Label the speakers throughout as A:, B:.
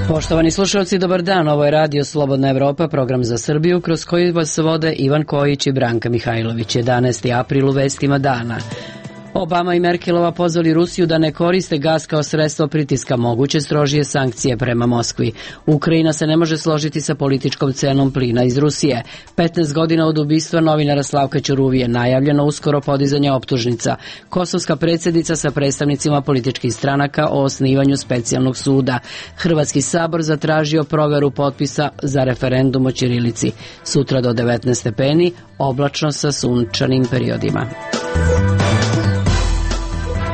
A: Poštovani slušalci, dobar dan. Ovo je Radio Slobodna Evropa, program za Srbiju, kroz koji vas vode Ivan Kojić i Branka Mihajlović. 11. april u vestima dana. Obama i Merkelova pozvali Rusiju da ne koriste gas kao sredstvo pritiska, moguće strožije sankcije prema Moskvi. Ukrajina se ne može složiti sa političkom cenom plina iz Rusije. 15 godina od ubistva novinara Slavka Ćuruvije, najavljeno uskoro podizanje optužnica. Kosovska predsjednica sa predstavnicima političkih stranaka o osnivanju specijalnog suda. Hrvatski sabor zatražio proveru potpisa za referendum o ćirilici. Sutra do 19 stepeni, oblačno sa sunčanim periodima.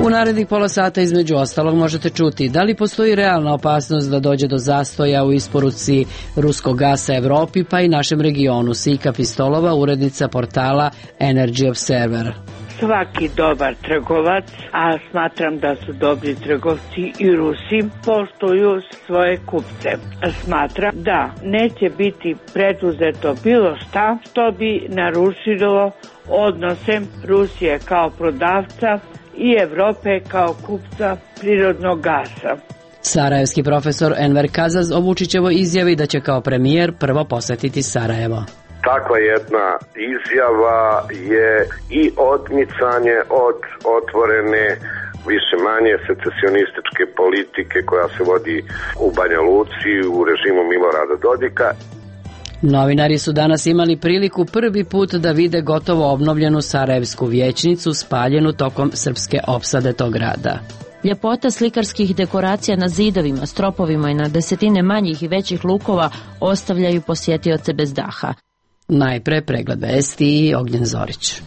A: U narednih pola sata između ostalog možete čuti da li postoji realna opasnost da dođe do zastoja u isporuci ruskog gasa Evropi pa i našem regionu. Sika Pistolova, urednica portala Energy Observer.
B: Svaki dobar trgovac, a smatram da su dobri trgovci i Rusi, poštuju svoje kupce. Smatram da neće biti preduzeto bilo šta što bi narušilo odnose Rusije kao prodavca i Evrope kao kupca prirodnog gasa.
A: Sarajevski profesor Enver Kazaz o Vučićevoj izjavi da će kao premijer prvo posetiti Sarajevo.
C: Takva jedna izjava je i odmicanje od otvorene više manje secesionističke politike koja se vodi u Banja Luci u režimu Milorada Dodika.
A: Novinari su danas imali priliku prvi put da vide gotovo obnovljenu Sarajevsku vijećnicu spaljenu tokom srpske opsade tog grada.
D: Ljepota slikarskih dekoracija na zidovima, stropovima i na desetine manjih i većih lukova ostavljaju posjetioce bez daha.
A: Najpre pregled vesti i Ognjen Zorić.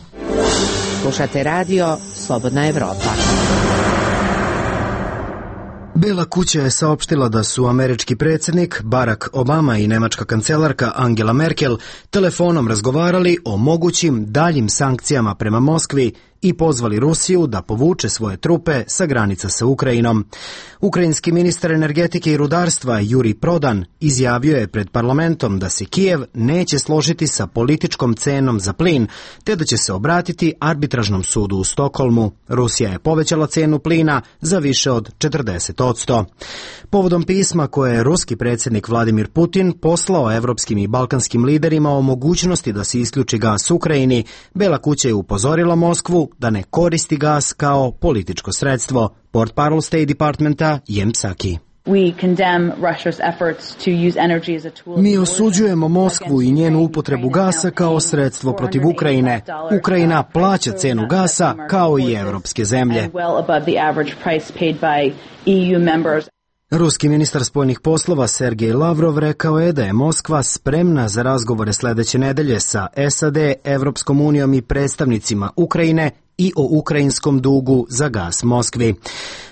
E: Slušate radio Slobodna Evropa.
F: Bela kuća je saopštila da su američki predsjednik Barack Obama i nemačka kancelarka Angela Merkel telefonom razgovarali o mogućim daljim sankcijama prema Moskvi i pozvali Rusiju da povuče svoje trupe sa granica sa Ukrajinom. Ukrajinski ministar energetike i rudarstva Juri Prodan izjavio je pred parlamentom da se Kijev neće složiti sa političkom cenom za plin, te da će se obratiti arbitražnom sudu u Stokholmu. Rusija je povećala cenu plina za više od 40%. Povodom pisma koje je ruski predsjednik Vladimir Putin poslao evropskim i balkanskim liderima o mogućnosti da se isključi gas Ukrajini, Bela kuća je upozorila Moskvu da ne koristi gas kao političko sredstvo. Portparol State Departmenta Jem Psaki. Mi osuđujemo Moskvu i njenu upotrebu gasa kao sredstvo protiv Ukrajine. Ukrajina plaća cenu gasa kao i evropske zemlje. Ruski ministar spoljnih poslova Sergej Lavrov rekao je da je Moskva spremna za razgovore sljedeće nedelje sa SAD, Evropskom unijom i predstavnicima Ukrajine i o ukrajinskom dugu za gas Moskvi.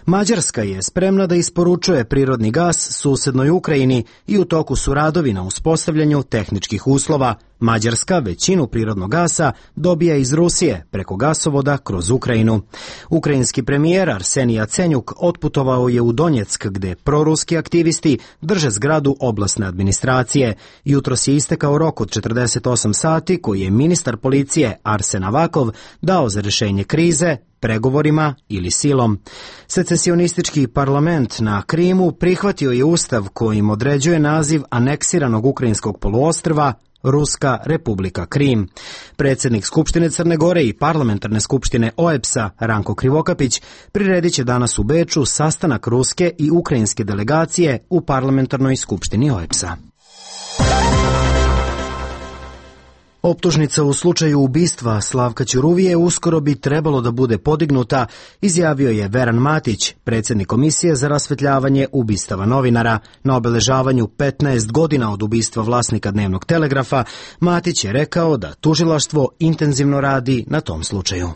F: Mađarska je spremna da isporučuje prirodni gas susednoj Ukrajini i u toku su radovi na uspostavljanju tehničkih uslova. Mađarska većinu prirodnog gasa dobija iz Rusije preko gasovoda kroz Ukrajinu. Ukrajinski premijer Arsenij Jacenjuk otputovao je u Donjeck gdje proruski aktivisti drže zgradu oblastne administracije. Jutros je istekao rok od 48 sati koji je ministar policije Arsen Avakov dao za rješenje krize, pregovorima ili silom. Secesionistički parlament na Krimu prihvatio je ustav kojim određuje naziv aneksiranog ukrajinskog poluostrva Ruska Republika Krim. Predsjednik Skupštine Crne Gore i parlamentarne skupštine OEBS-a Ranko Krivokapić priredit će danas u Beču sastanak ruske i ukrajinske delegacije u parlamentarnoj skupštini OEBS-a. Optužnica u slučaju ubistva Slavka Ćuruvije uskoro bi trebalo da bude podignuta, izjavio je Veran Matić, predsjednik Komisije za rasvetljavanje ubistava novinara. Na obeležavanju 15 godina od ubistva vlasnika Dnevnog telegrafa, Matić je rekao da tužilaštvo intenzivno radi na tom slučaju.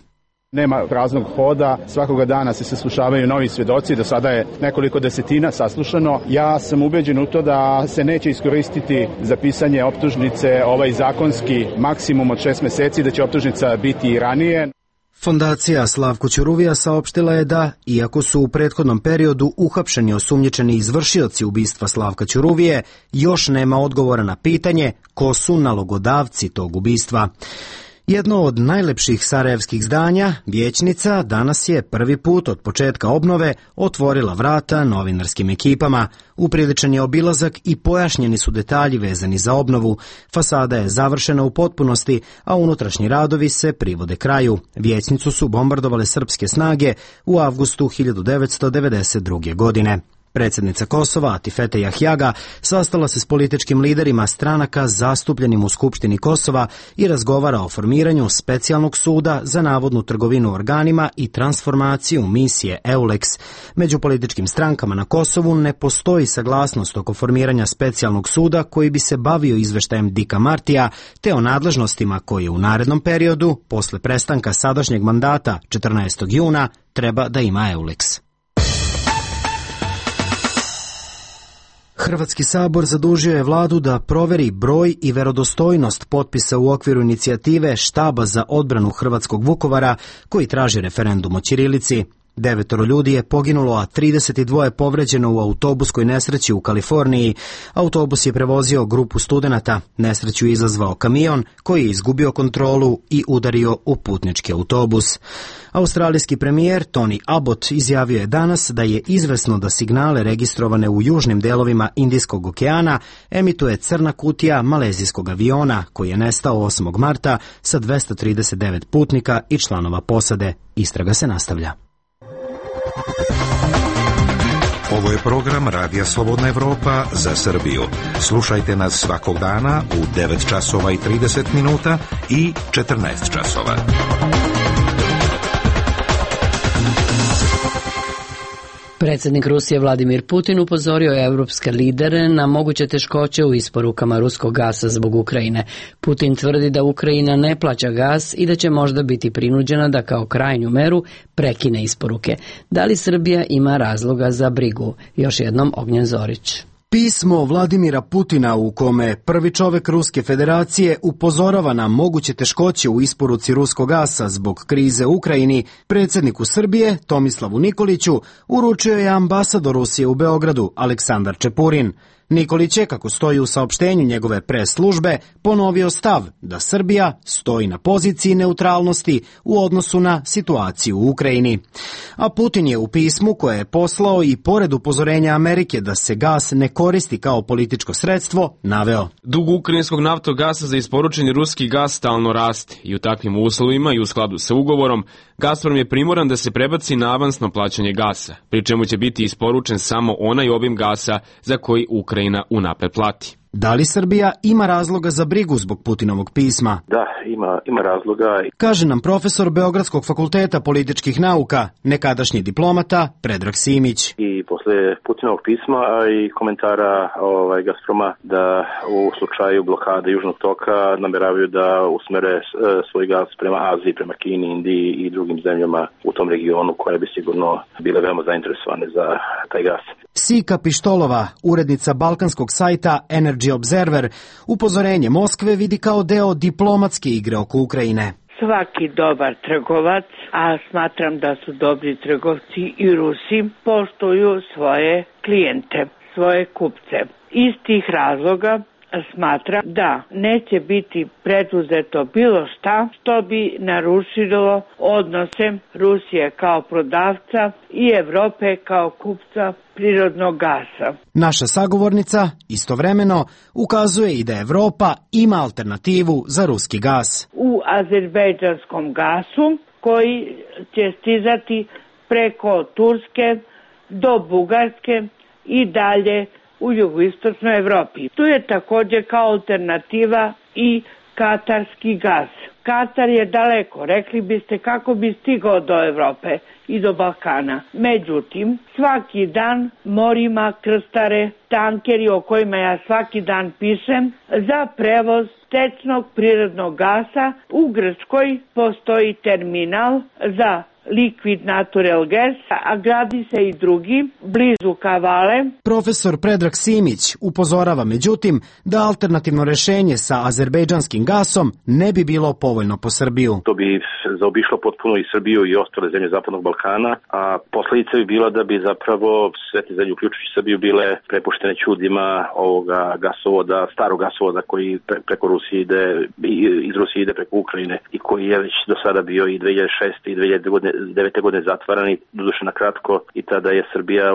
G: Nema praznog hoda, svakoga dana se saslušavaju novi svjedoci, do sada je nekoliko desetina saslušano. Ja sam ubeđen u to da se neće iskoristiti za pisanje optužnice ovaj zakonski maksimum od 6 mjeseci, da će optužnica biti i ranije.
F: Fondacija Slavko Ćuruvija saopštila je da, iako su u prethodnom periodu uhapšeni osumnjičeni izvršioci ubistva Slavka Ćuruvije, još nema odgovora na pitanje ko su nalogodavci tog ubistva. Jedno od najlepših sarajevskih zdanja, vijećnica, danas je prvi put od početka obnove otvorila vrata novinarskim ekipama. Upriličen je obilazak i pojašnjeni su detalji vezani za obnovu. Fasada je završena u potpunosti, a unutrašnji radovi se privode kraju. Vijećnicu su bombardovale srpske snage u avgustu 1992. godine. Predsjednica Kosova, Atifete Jahjaga, sastala se s političkim liderima stranaka zastupljenim u Skupštini Kosova i razgovara o formiranju specijalnog suda za navodnu trgovinu organima i transformaciju misije EULEX. Među političkim strankama na Kosovu ne postoji saglasnost oko formiranja specijalnog suda koji bi se bavio izveštajem Dika Martija te o nadležnostima koje u narednom periodu, posle prestanka sadašnjeg mandata 14. juna, treba da ima EULEX. Hrvatski sabor zadužio je vladu da proveri broj i verodostojnost potpisa u okviru inicijative Štaba za odbranu hrvatskog Vukovara koji traži referendum o ćirilici. 9 ljudi je poginulo, a 32 povređeno u autobuskoj nesreći u Kaliforniji. Autobus je prevozio grupu studenata. Nesreću je izazvao kamion koji je izgubio kontrolu i udario u putnički autobus. Australijski premijer Tony Abbott izjavio je danas da je izvesno da signale registrovane u južnim delovima Indijskog okeana emituje crna kutija malezijskog aviona koji je nestao 8. marta sa 239 putnika i članova posade. Istraga se nastavlja.
H: Ovo je program Radija Slobodna Evropa za Srbiju. Slušajte nas svakog dana u 9 časova i 30 minuta i 14 časova.
A: Predsjednik Rusije Vladimir Putin upozorio je evropske lidere na moguće teškoće u isporukama ruskog gasa zbog Ukrajine. Putin tvrdi da Ukrajina ne plaća gas i da će možda biti prinuđena da kao krajnju meru prekine isporuke. Da li Srbija ima razloga za brigu? Još jednom Ognjen Zorić.
F: Pismo Vladimira Putina u kome prvi čovek Ruske federacije upozorava na moguće teškoće u isporuci ruskog gasa zbog krize u Ukrajini, predsjedniku Srbije Tomislavu Nikoliću uručio je ambasador Rusije u Beogradu Aleksandar Čepurin. Nikolić je, kako stoji u saopštenju njegove pres službe, ponovio stav da Srbija stoji na poziciji neutralnosti u odnosu na situaciju u Ukrajini. A Putin je u pismu koje je poslao i pored upozorenja Amerike da se gas ne koristi kao političko sredstvo, naveo:
I: Dug ukrajinskog naftogasa za isporučeni ruski gas stalno raste i u takvim uslovima i u skladu sa ugovorom Gazprom je primoran da se prebaci na avansno plaćanje gasa, pri čemu će biti isporučen samo onaj obim gasa za koji Ukrajina unapred plati.
F: Da li Srbija ima razloga za brigu zbog Putinovog pisma?
J: Da, ima razloga.
F: Kaže nam profesor Beogradskog fakulteta političkih nauka, nekadašnji diplomata Predrag Simić.
J: I posle Putinovog pisma i komentara Gazproma da u slučaju blokade Južnog toka nameravaju da usmere svoj gas prema Aziji, prema Kini, Indiji i drugim zemljama u tom regionu koje bi sigurno bile veoma zainteresovane za taj gas.
F: Sika Pištolova, urednica balkanskog sajta Energy Observer, upozorenje Moskve vidi kao deo diplomatske igre oko Ukrajine.
B: Svaki dobar trgovac, a smatram da su dobri trgovci i Rusi, poštuju svoje klijente, svoje kupce. Iz tih razloga smatram da neće biti preduzeto bilo šta što bi narušilo odnose Rusije kao prodavca i Evrope kao kupca prirodnog gasa.
F: Naša sagovornica istovremeno ukazuje i da Evropa ima alternativu za ruski gas.
B: U azerbejdžanskom gasu koji će stizati preko Turske do Bugarske i dalje u jugoistočnoj Evropi. Tu je također kao alternativa i katarski gas. Katar je daleko, rekli biste kako bi stigao do Evrope i do Balkana. Međutim, svaki dan morima krstare tankeri o kojima ja svaki dan pišem za prevoz tečnog prirodnog gasa. U Grčkoj postoji terminal za Liquid Natural Gas, a gradi se i drugi, blizu Kavale.
F: Profesor Predrag Simić upozorava međutim da alternativno rešenje sa azerbejdžanskim gasom ne bi bilo povoljno po Srbiju.
J: To bi zaobišlo potpuno i Srbiju i ostale zemlje Zapadnog Balkana, a posledica bi bila da bi zapravo sve te zemlje, uključujući Srbiju, bile prepuštene ćudima ovoga gasovoda, starog gasovoda koji preko Rusije ide, iz Rusije ide preko Ukrajine i koji je već do sada bio i 2006. i 2009. godine zatvaran i doduše na kratko, i tada je Srbija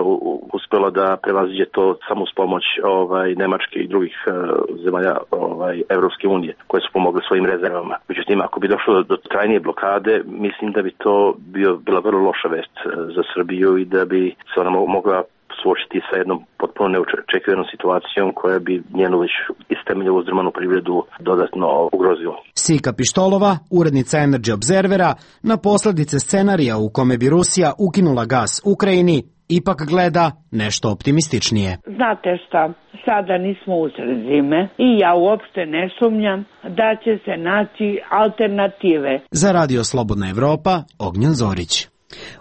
J: uspela da prevaziđe to samo uz pomoć Nemačke i drugih zemalja Evropske unije koje su pomogle svojim rezervama. Međutim, ako bi došlo do trajnije blokade, mislim da bi to bila vrlo loša vest za Srbiju i da bi se ona mogla suočiti sa jednom potpuno neočekivanom situacijom koja bi njenu već iz temelja uzdrmanu privredu dodatno ugrozila.
F: Sika Pištolova, urednica Energy Observera, na posledice scenarija u kome bi Rusija ukinula gas Ukrajini, ipak gleda nešto optimističnije.
B: Znate šta, sada nismo usred zime i ja uopšte ne sumnjam da će se naći alternative.
F: Za Radio Slobodna Evropa, Ognjen Zorić.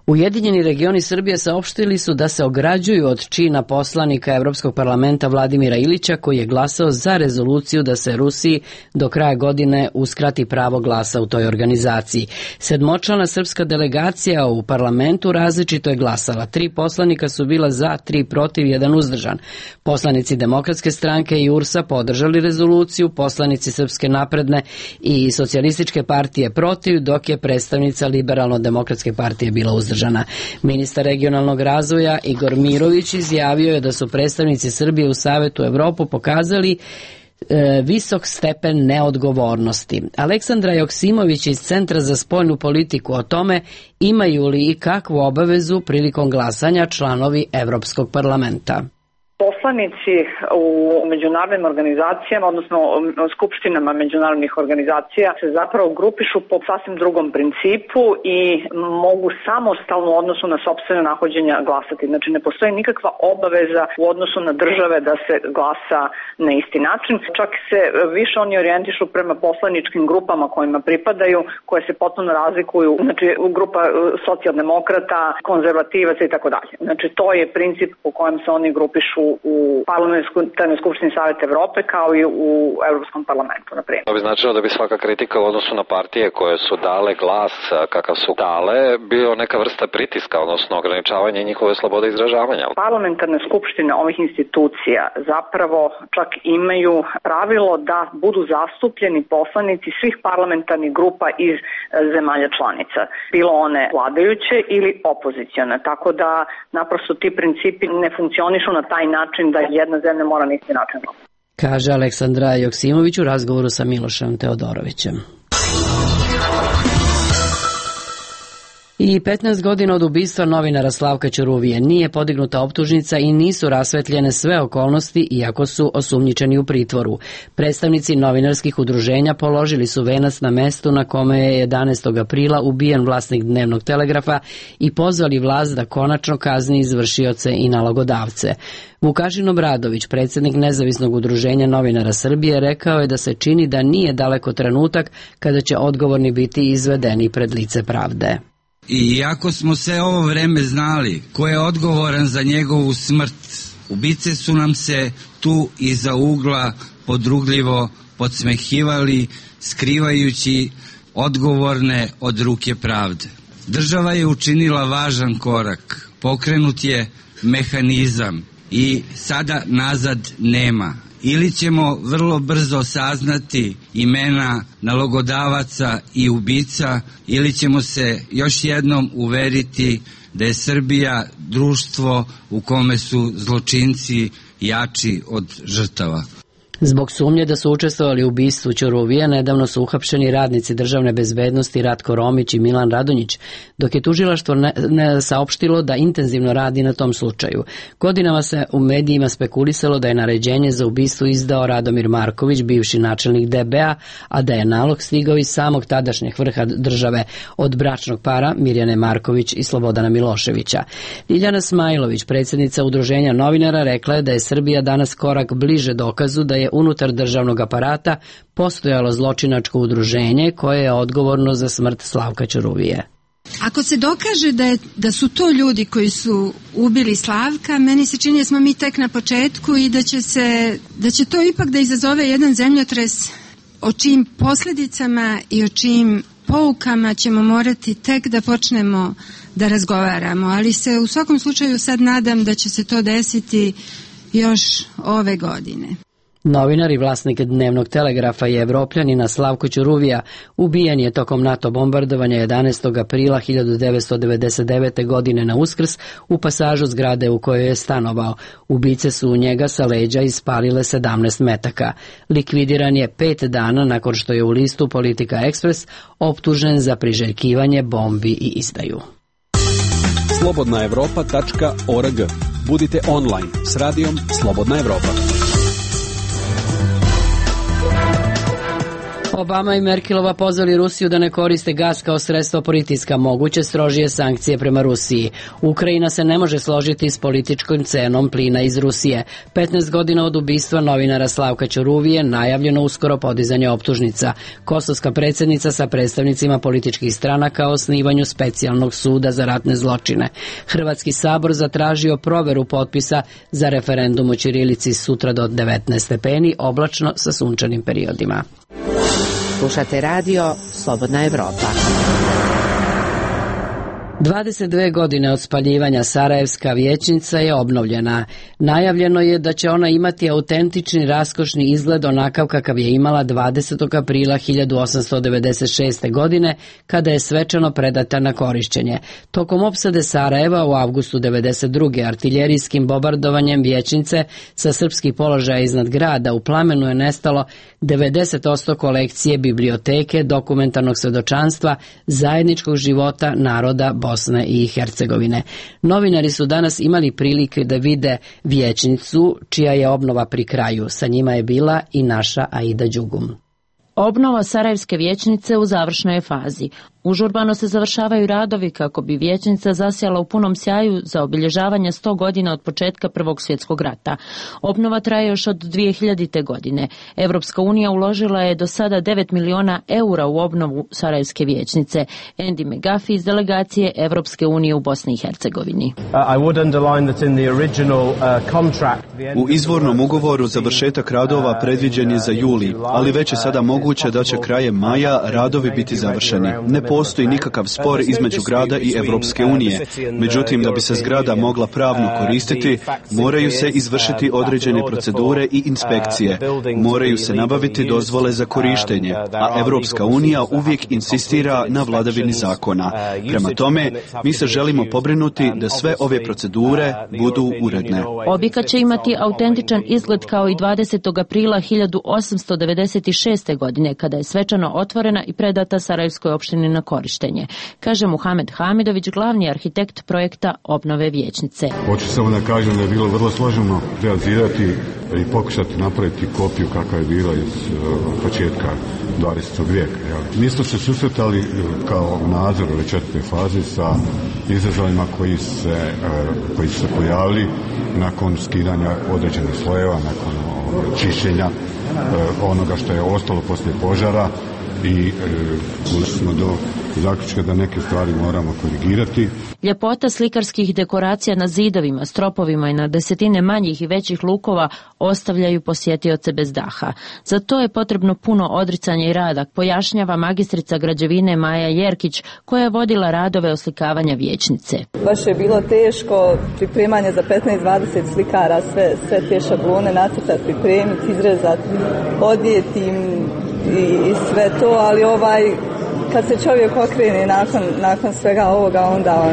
A: Ujedinjeni regioni Srbije saopštili su da se ograđuju od čina poslanika Evropskog parlamenta Vladimira Ilića, koji je glasao za rezoluciju da se Rusiji do kraja godine uskrati pravo glasa u toj organizaciji. Sedmočlana srpska delegacija u parlamentu različito je glasala. 3 poslanika su bila za, 3 protiv, 1 uzdržan. Poslanici Demokratske stranke i URS-a podržali rezoluciju, poslanici Srpske napredne i Socijalističke partije protiv, dok je predstavnica Liberalno-demokratske partije bila uzdržana. Ministar regionalnog razvoja Igor Mirović izjavio je da su predstavnici Srbije u Savetu Evropu pokazali visok stepen neodgovornosti. Aleksandra Joksimović iz Centra za spoljnu politiku o tome imaju li i kakvu obavezu prilikom glasanja članovi Evropskog parlamenta.
K: Poslanici u međunarodnim organizacijama, odnosno skupštinama međunarodnih organizacija, se zapravo grupišu po sasvim drugom principu i mogu samostalno u odnosu na sopstvene nahođenja glasati. Znači ne postoji nikakva obaveza u odnosu na države da se glasa na isti način. Čak se više oni orijentišu prema poslaničkim grupama kojima pripadaju, koje se potpuno razlikuju, znači grupa socijaldemokrata, konzervativaca i tako dalje. Znači to je princip po kojem se oni grupišu u Parlamentarnoj skupštini Saveta Evrope kao i u Evropskom parlamentu, na primjer.
L: To bi značilo da bi svaka kritika u odnosu na partije koje su dale glas kakav su dale bio neka vrsta pritiska, odnosno ograničavanje njihove slobode izražavanja.
K: Parlamentarne skupštine ovih institucija zapravo čak imaju pravilo da budu zastupljeni poslanici svih parlamentarnih grupa iz zemalja članica, bilo one vladajuće ili opozicione, tako da naprosto ti principi ne funkcionišu na taj način da jedna zemlja mora na isti način.
A: Kaže Aleksandra Joksimović u razgovoru sa Milošem Teodorovićem. I 15 godina od ubistva novinara Slavka Ćuruvije nije podignuta optužnica i nisu rasvetljene sve okolnosti, iako su osumnjičeni u pritvoru. Predstavnici novinarskih udruženja položili su venac na mestu na kome je 11. aprila ubijen vlasnik Dnevnog telegrafa i pozvali vlast da konačno kazni izvršioce i nalogodavce. Vukašin Obradović, predsjednik Nezavisnog udruženja novinara Srbije, rekao je da se čini da nije daleko trenutak kada će odgovorni biti izvedeni pred lice pravde.
M: I iako smo sve ovo vreme znali ko je odgovoran za njegovu smrt, ubice su nam se tu iza ugla podrugljivo podsmehivali, skrivajući odgovorne od ruke pravde. Država je učinila važan korak, pokrenut je mehanizam i sada nazad nema. Ili ćemo vrlo brzo saznati imena nalogodavaca i ubica, ili ćemo se još jednom uveriti da je Srbija društvo u kome su zločinci jači od žrtava.
A: Zbog sumnje da su učestvovali u ubistvu Ćuruvije, nedavno su uhapšeni radnici državne bezbednosti Ratko Romić i Milan Radonjić, dok je tužilaštvo saopštilo da intenzivno radi na tom slučaju. Godinama se u medijima spekulisalo da je naređenje za ubistvo izdao Radomir Marković, bivši načelnik DB-a, a da je nalog stigao iz samog tadašnjeg vrha države od bračnog para Mirjane Marković i Slobodana Miloševića. Ljiljana Smajlović, predsjednica udruženja novinara, rekla je da je Srbija danas korak bliže dokazu da je unutar državnog aparata postojalo zločinačko udruženje koje je odgovorno za smrt Slavka Ćuruvije.
N: Ako se dokaže da su to ljudi koji su ubili Slavka, meni se čini da smo mi tek na početku i da će to ipak da izazove jedan zemljotres o čijim posljedicama i o čijim poukama ćemo morati tek da počnemo da razgovaramo, ali se u svakom slučaju sad nadam da će se to desiti još ove godine.
A: Novinar i vlasnik dnevnog telegrafa i Evropljanina Slavko Ćuruvija ubijen je tokom NATO bombardovanja 11. aprila 1999. godine na Uskrs u pasažu zgrade u kojoj je stanovao. Ubice su u njega sa leđa ispalile 17 metaka. Likvidiran je 5 dana nakon što je u listu Politika Ekspres optužen za priželjkivanje bombi i izdaju.
O: slobodnaevropa.org. Budite online s radijom Slobodna Evropa.
A: Obama i Merkelova pozvali Rusiju da ne koriste gas kao sredstvo pritiska, moguće strožije sankcije prema Rusiji. Ukrajina se ne može složiti s političkom cenom plina iz Rusije. 15 godina od ubistva novinara Slavka Ćuruvije, najavljeno uskoro podizanje optužnica. Kosovska predsjednica sa predstavnicima političkih stranaka o osnivanju specijalnog suda za ratne zločine. Hrvatski sabor zatražio proveru potpisa za referendum o ćirilici sutra do 19 stepeni, oblačno sa sunčanim periodima.
E: Slušate radio Slobodna Evropa.
A: 22 godine od spaljivanja Sarajevska vijećnica je obnovljena. Najavljeno je da će ona imati autentični raskošni izgled onakav kakav je imala 20. aprila 1896. godine kada je svečano predata na korišćenje. Tokom opsade Sarajeva u avgustu 92. artiljerijskim bombardovanjem vijećnice sa srpskih položaja iznad grada u plamenu je nestalo 90% kolekcije biblioteke, dokumentarnog svedočanstva, zajedničkog života naroda Bosne i Hercegovine. Novinari su danas imali prilike da vide vijećnicu čija je obnova pri kraju. Sa njima je bila i naša Aida Đugum.
D: Obnova Sarajevske vijećnice u završnoj je fazi. Užurbano se završavaju radovi kako bi vijećnica zasjala u punom sjaju za obilježavanje 100 godina od početka Prvog svjetskog rata. Obnova traje još od 2000. godine. Evropska unija uložila je do sada 9 miliona eura u obnovu Sarajevske vijećnice. Andy McGuffey iz delegacije Evropske unije u Bosni i Hercegovini.
P: U izvornom ugovoru završetak radova predviđen je za juli, ali već je sada moguće da će krajem maja radovi biti završeni. Ne postoji nikakav spor između grada i Evropske unije. Međutim, da bi se zgrada mogla pravno koristiti, moraju se izvršiti određene procedure i inspekcije. Moraju se nabaviti dozvole za korištenje, a Evropska unija uvijek insistira na vladavini zakona. Prema tome, mi se želimo pobrinuti da sve ove procedure budu uredne.
D: Objekat će imati autentičan izgled kao i 20. aprila 1896. godine, kada je svečano otvorena i predata Sarajevskoj opštini na korištenje, kaže Muhamed Hamidović, glavni arhitekt projekta obnove vijećnice.
Q: Hoću samo da kažem da je bilo vrlo složeno realizirati i pokušati napraviti kopiju kakva je bila iz početka 20. vijeka. Mi smo se susretali kao nadzor ove četvrte faze sa izazovima koji su se pojavili nakon skidanja određenih slojeva, nakon čišćenja onoga što je ostalo poslije požara i došli smo do zaključka da neke stvari moramo korigirati.
D: Ljepota slikarskih dekoracija na zidovima, stropovima i na desetine manjih i većih lukova ostavljaju posjetioce bez daha. Za to je potrebno puno odricanja i rada, pojašnjava magistrica građevine Maja Jerkić, koja je vodila radove oslikavanja vijećnice.
R: Baš je bilo teško pripremanje za 15-20 slikara, sve te šablone nacrtati, pripremiti, izrezati, odvijeti im i sve to, ali kad se čovjek okrene nakon svega ovoga, onda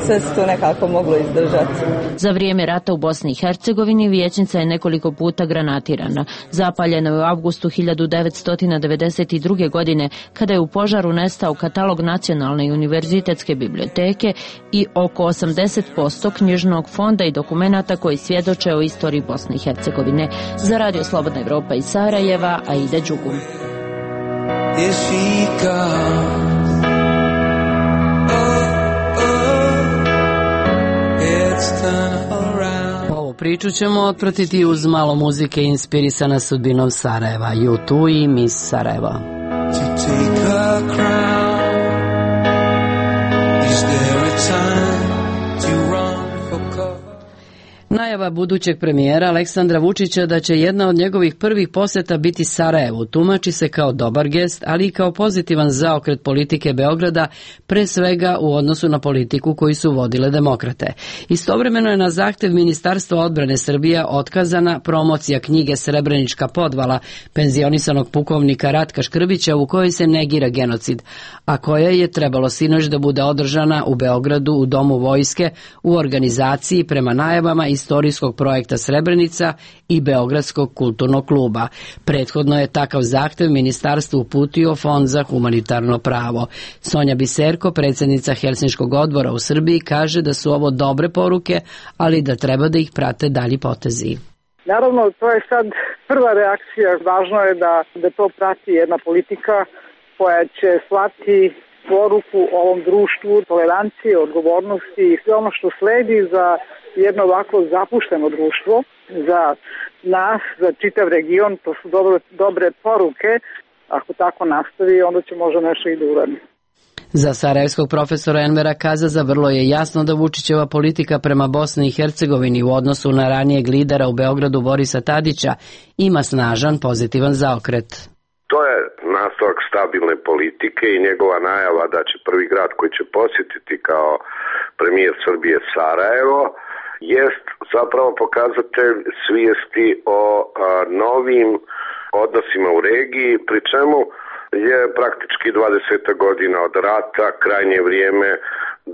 R: sve se to nekako moglo izdržati.
D: Za vrijeme rata u Bosni i Hercegovini vijećnica je nekoliko puta granatirana. Zapaljena je u avgustu 1992. godine, kada je u požaru nestao katalog Nacionalne i univerzitetske biblioteke i oko 80% knjižnog fonda i dokumenata koji svjedoče o istoriji Bosne i Hercegovine. Za Radio Slobodna Evropa iz Sarajeva, Aida Đugum.
A: Ovu priču ćemo otpratiti uz malo muzike inspirisana sudbinom Sarajeva. U2 i Miss Sarajevo. Najava budućeg premijera Aleksandra Vučića da će jedna od njegovih prvih poseta biti Sarajevu tumači se kao dobar gest, ali i kao pozitivan zaokret politike Beograda, pre svega u odnosu na politiku koju su vodile demokrate. Istovremeno je na zahtev Ministarstva odbrane Srbije otkazana promocija knjige Srebrenička podvala penzionisanog pukovnika Ratka Škrbića u kojoj se negira genocid, a koja je trebalo sinoć da bude održana u Beogradu u Domu vojske u organizaciji prema najavama istorijskog projekta Srebrenica i Beogradskog kulturnog kluba. Prethodno je takav zahtev ministarstvu uputio Fond za humanitarno pravo. Sonja Biserko, predsjednica Helsinškog odbora u Srbiji, kaže da su ovo dobre poruke, ali da treba da ih prate dalji potezi.
S: Naravno, to je sad prva reakcija. Važno je da to prati jedna politika koja će slati poruku ovom društvu, tolerancije, odgovornosti i sve ono što sledi za jedno ovako zapušteno društvo, za nas, za čitav region. To su dobre poruke. Ako tako nastavi, onda će možda nešto i da uradi.
A: Za sarajevskog profesora Envera Kazaza vrlo je jasno da Vučićeva politika prema Bosni i Hercegovini u odnosu na ranijeg lidera u Beogradu Borisa Tadića ima snažan pozitivan zaokret.
C: To je nastavak stabilne politike i njegova najava da će prvi grad koji će posjetiti kao premijer Srbije Sarajevo jest zapravo pokazatelj svijesti o novim odnosima u regiji, pri čemu je praktički 20 godina od rata krajnje vrijeme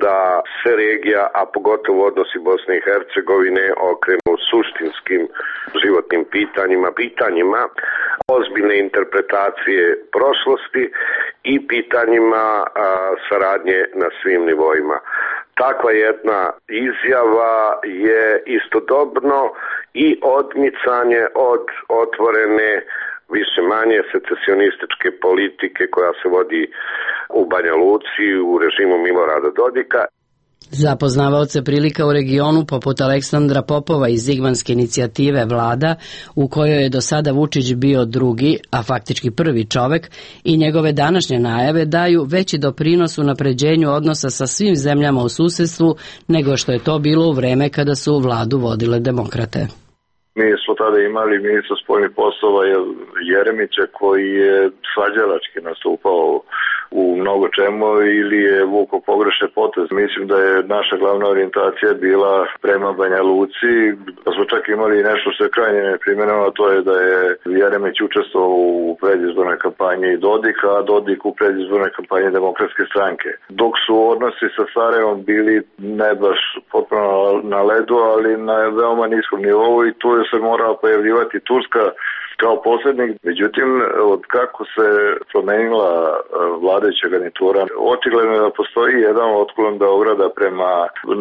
C: da se regija, a pogotovo odnosi Bosne i Hercegovine, okrenu suštinskim životnim pitanjima ozbiljne interpretacije prošlosti i pitanjima saradnje na svim nivoima. Takva jedna izjava je istodobno i odmicanje od otvorene više manje secesionističke politike koja se vodi u Banja Luci u režimu Milorada Dodika.
A: Za poznavaoce prilika u regionu poput Aleksandra Popova iz Zigmanske inicijative Vlada, u kojoj je do sada Vučić bio drugi, a faktički prvi čovek, i njegove današnje najave daju veći doprinos u napređenju odnosa sa svim zemljama u susedstvu nego što je to bilo u vreme kada su vladu vodile demokrate.
T: Mi smo tada imali ministra spoljnih poslova Jeremića koji je svađalački nastupao u mnogo čemu ili je vukao pogrešne potez. Mislim da je naša glavna orijentacija bila prema Banja Luci, da smo čak imali nešto što je krajnje neprimjereno, a to je da je Jeremić učestvovao u predizbornoj kampanji Dodika, a Dodik u predizbornoj kampanji Demokratske stranke. Dok su odnosi sa Sarajevom bili ne baš potpuno na ledu, ali na veoma niskom nivou i tu je se morala pojavljivati Turska kao posrednik. Međutim, od kako se promenila vladajuća garnitura, očigledno je da postoji jedan otklon Beograda prema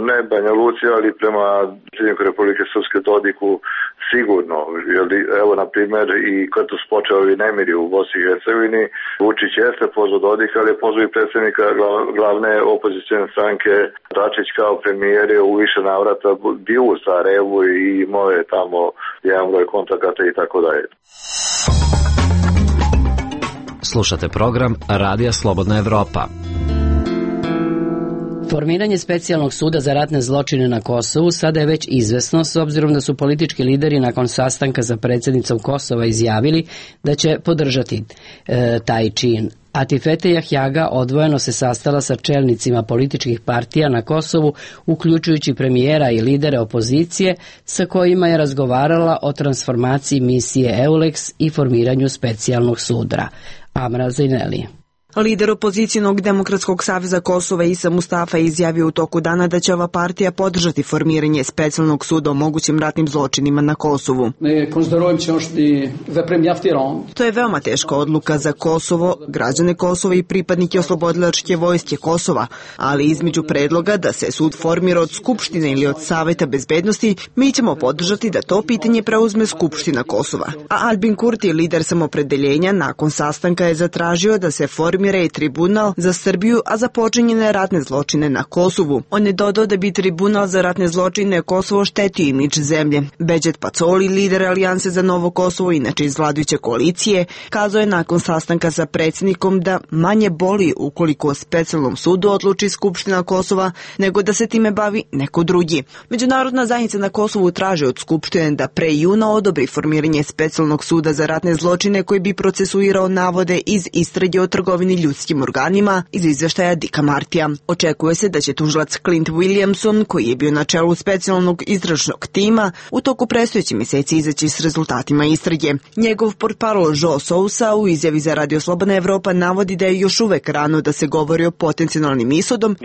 T: ne Banja Luci, ali prema predsjedniku Republike Srpske Dodiku sigurno. Evo, na primjer, i kad su počeli nemiri u Bosni i Hercegovini, Vučić jeste pozvao Dodika, ali je pozvao i predsjednika glavne opozicijne stranke Dačić kao premijer je u više navrata bio u Sarajevu i imao je tamo jedan broj kontakata i tako dalje.
U: Slušate program Radija Slobodna Evropa.
A: Formiranje specijalnog suda za ratne zločine na Kosovu sada je već izvesno, s obzirom da su politički lideri nakon sastanka sa predsjednicom Kosova izjavili da će podržati taj čin. Atifete Jahjaga odvojeno se sastala sa čelnicima političkih partija na Kosovu, uključujući premijera i lidere opozicije, sa kojima je razgovarala o transformaciji misije EULEX i formiranju specijalnog suda. Amra Zaineli.
V: Lider opozicijnog Demokratskog saveza Kosova Isa Mustafa izjavio u toku dana da će ova partija podržati formiranje specijalnog suda o mogućim ratnim zločinima na Kosovu. To je veoma teška odluka za Kosovo, građane Kosova i pripadnike oslobodilačke vojske Kosova, ali između predloga da se sud formira od Skupštine ili od Saveta bezbednosti, mi ćemo podržati da to pitanje preuzme Skupština Kosova. A Albin Kurti, lider samopredeljenja, nakon sastanka je zatražio da se formira formira i tribunal za Srbiju, a za počinjene ratne zločine na Kosovu. On je dodao da bi tribunal za ratne zločine Kosovo štetio imidž zemlje. Beđet Pacoli, lider Alijanse za Novo Kosovo, inače iz vladajuće koalicije, kazao je nakon sastanka sa predsjednikom da manje boli ukoliko o specijalnom sudu odluči Skupština Kosova, nego da se time bavi neko drugi. Međunarodna zajednica na Kosovu traži od Skupštine da pre juna odobri formiranje specijalnog suda za ratne zločine koji bi procesuirao navode iz istrage o trgovini ljudskim organima iz izveštaja Dicka Martija. Očekuje se da će tužilac Clint Williamson, koji je bio na čelu specijalnog istražnog tima, u toku predstojećih mjeseci izaći s rezultatima istrage. Njegov portparol Joe Sousa u izjavi za Radio Slobodna Evropa navodi da je još uvek rano da se govori o potencijalnim ishodom.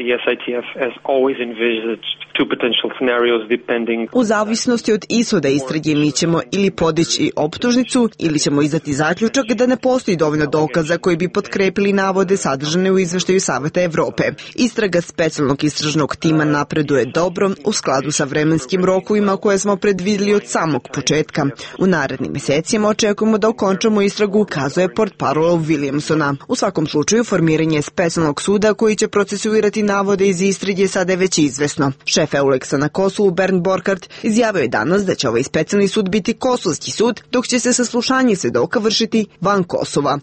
V: U zavisnosti od ishoda istrage mi ćemo ili podići optužnicu ili ćemo izdati zaključak da ne postoji dovoljno dokaza koji bi potkrepili navode sadržane u izveštaju Saveta Evrope. Istraga specijalnog istražnog tima napreduje dobro u skladu sa vremenskim rokovima koje smo predvidjeli od samog početka. U narednim mjesecima očekujemo da okončamo istragu, kazuje portparol Williamsona. U svakom slučaju formiranje specijalnog suda koji će procesuirati navode iz istrage sada je već izvesno. Šef Euleksa na Kosovu Bernd Borkart izjavio je danas da će ovaj specijalni sud biti kosovski sud, dok će se saslušanje svedoka vršiti van Kosova.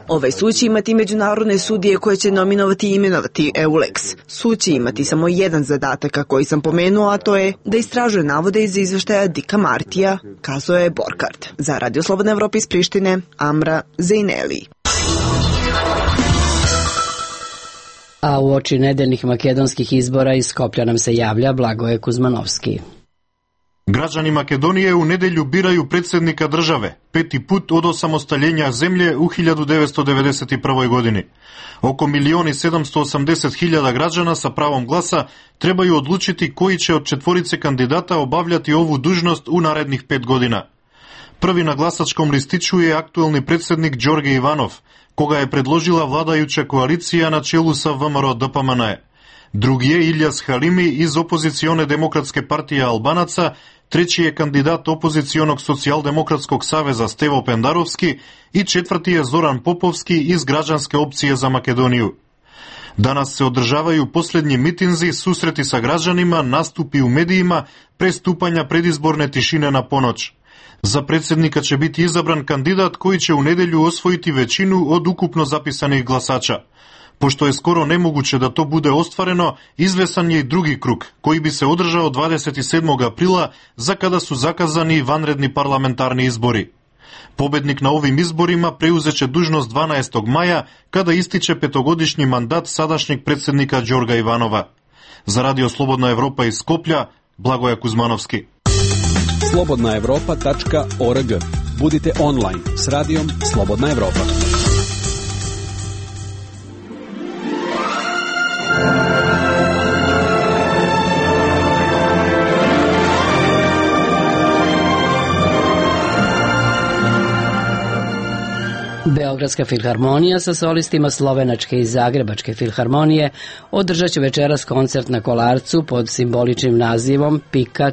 V: Ovaj sud će imati međunarodne sudije koje će nominovati i imenovati Euleks. Sud će imati samo jedan zadatak koji sam pomenuo, a to je da istražuje navode iz izveštaja Dicka Martija, kazao je Borkart. Za Radio Slobodna Evropa iz Prištine, Amra Zejneli.
A: A u oči nedeljnih makedonskih izbora iz Skoplja nam se javlja Blagoje Kuzmanovski.
G: Građani Makedonije u nedelju biraju predsjednika države, 5. put od osamostaljenja zemlje u 1991. godini. Oko 1.780.000 građana sa pravom glasa trebaju odlučiti koji će od 4 kandidata obavljati ovu dužnost u narednih 5 godina. Prvi na glasačkom listiću je aktuelni predsjednik Đorđe Ivanov, koga je predložila vladajuća koalicija na čelu sa VMRO DPMNE. Drugi je Ilijas Halimi iz opozicione demokratske partije Albanaca, treći je kandidat opozicionog socijaldemokratskog saveza Stevo Pendarovski i četvrti je Zoran Popovski iz građanske opcije za Makedoniju. Danas se održavaju posljednji mitinzi, susreti sa građanima, nastupi u medijima, pre stupanja predizborne tišine na ponoć. Za predsjednika će biti izabran kandidat koji će u nedjelju osvojiti većinu od ukupno zapisanih glasača. Pošto je skoro nemoguće da to bude ostvareno, izvesan je i drugi krug, koji bi se održao 27. aprila, za kada su zakazani vanredni parlamentarni izbori. Pobednik na ovim izborima preuzeće dužnost 12. maja, kada ističe 5-godišnji mandat sadašnjeg predsjednika Đorđa Ivanova. Za Radio Slobodna Evropa iz Skoplja, Blagoje Kuzmanovski.
O: slobodnaevropa.org. Budite online s radijom Slobodna Evropa.
A: Beogradska filharmonija sa solistima Slovenačke i Zagrebačke filharmonije održat će večeras koncert na Kolarcu pod simboličnim nazivom Pika.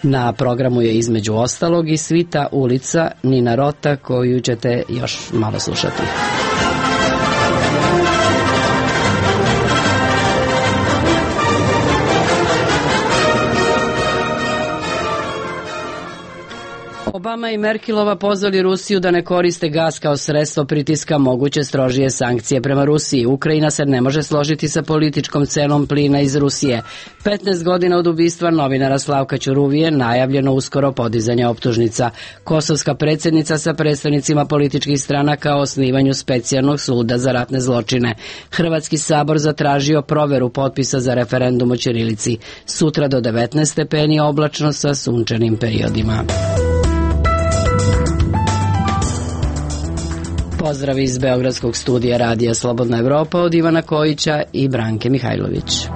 A: Na programu je između ostalog i svita ulica Nina Rota, koju ćete još malo slušati. Obama i Merkelova pozvali Rusiju da ne koriste gas kao sredstvo pritiska moguće strožije sankcije prema Rusiji. Ukrajina se ne može složiti sa političkom cenom plina iz Rusije. 15 godina od ubistva novinara Slavka Ćuruvije, najavljeno uskoro podizanje optužnica. Kosovska predsjednica sa predstavnicima političkih stranaka o osnivanju specijalnog suda za ratne zločine. Hrvatski sabor zatražio proveru potpisa za referendum o ćirilici. Sutra do 19 stepeni oblačno sa sunčanim periodima. Pozdrav iz Beogradskog studija Radija Slobodna Evropa od Ivana Kojića i Branke Mihajlović.